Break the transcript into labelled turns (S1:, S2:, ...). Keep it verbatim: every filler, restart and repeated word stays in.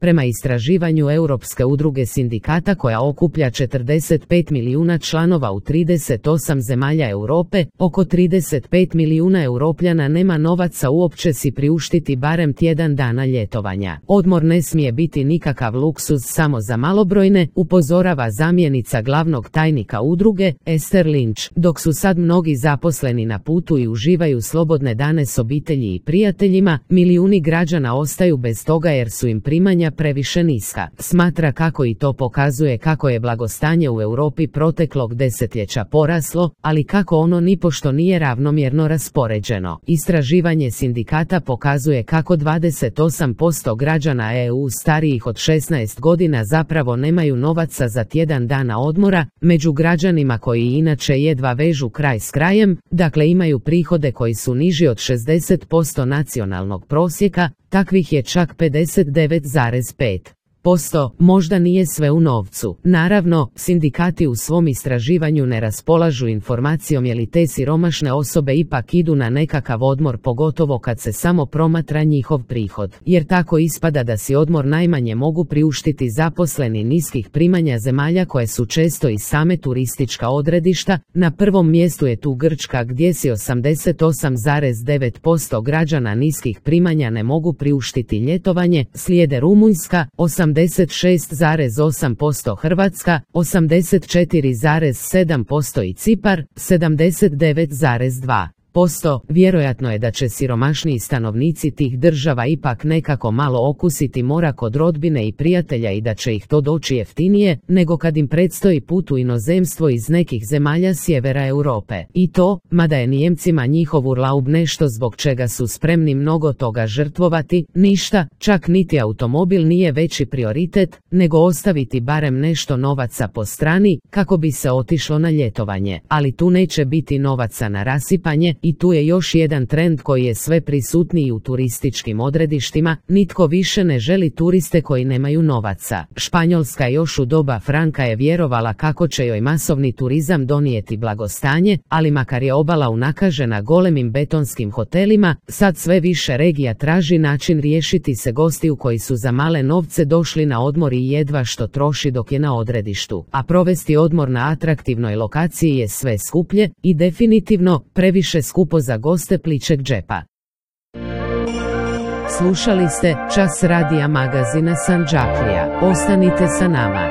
S1: Prema istraživanju Europske udruge sindikata koja okuplja četrdeset pet milijuna članova u trideset osam zemalja Europe, oko trideset pet milijuna Europljana nema novaca uopće si priuštiti barem tjedan dana ljetovanja. Odmor ne smije biti nikakav luksuz samo za malobrojne, upozorava zamjenica glavnog tajnika udruge, Esther Lynch. Dok su sad mnogi zaposleni na putu i uživaju slobodne dane s obitelji i prijateljima, milijuni građana ostaju bez toga jer su im primanja previše niska. Smatra kako i to pokazuje kako je blagostanje u Europi proteklog desetljeća poraslo, ali kako ono nipošto nije ravnomjerno raspoređeno. Istraživanje sindikata pokazuje kako dvadeset osam posto građana E U starijih od šesnaest godina zapravo nemaju novaca za tjedan dana odmora, među građanima koji inače jedva vežu kraj s krajem, dakle imaju prihode koji su niži od šezdeset posto nacionalnog prosjeka, takvih je čak pedeset devet zarez pet posto. Možda nije sve u novcu. Naravno, sindikati u svom istraživanju ne raspolažu informacijom je li te siromašne osobe ipak idu na nekakav odmor, pogotovo kad se samo promatra njihov prihod. Jer tako ispada da si odmor najmanje mogu priuštiti zaposleni niskih primanja zemalja koje su često i same turistička odredišta. Na prvom mjestu je tu Grčka gdje si osamdeset osam zarez devet posto građana niskih primanja ne mogu priuštiti ljetovanje, slijede Rumunjska, osamdeset šest zarez osam posto Hrvatska, osamdeset četiri zarez sedam posto i Cipar, sedamdeset devet zarez dva posto. Vjerojatno je da će siromašniji stanovnici tih država ipak nekako malo okusiti mora kod rodbine i prijatelja i da će ih to doći jeftinije nego kad im predstoji put u inozemstvo iz nekih zemalja sjevera Europe. I to, mada je Nijemcima njihov Urlaub nešto zbog čega su spremni mnogo toga žrtvovati, ništa, čak niti automobil nije veći prioritet, nego ostaviti barem nešto novaca po strani kako bi se otišlo na ljetovanje. Ali tu neće biti novaca na rasipanje. I tu je još jedan trend koji je sve prisutniji u turističkim odredištima, nitko više ne želi turiste koji nemaju novaca. Španjolska još u doba Franka je vjerovala kako će joj masovni turizam donijeti blagostanje, ali makar je obala unakažena golemim betonskim hotelima, sad sve više regija traži način riješiti se gostiju koji su za male novce došli na odmor i jedva što troši dok je na odredištu. A provesti odmor na atraktivnoj lokaciji je sve skuplje i definitivno previše skupo za goste pličeg džepa. Slušali ste Čas radija magazina Sandžaklija. Ostanite sa nama.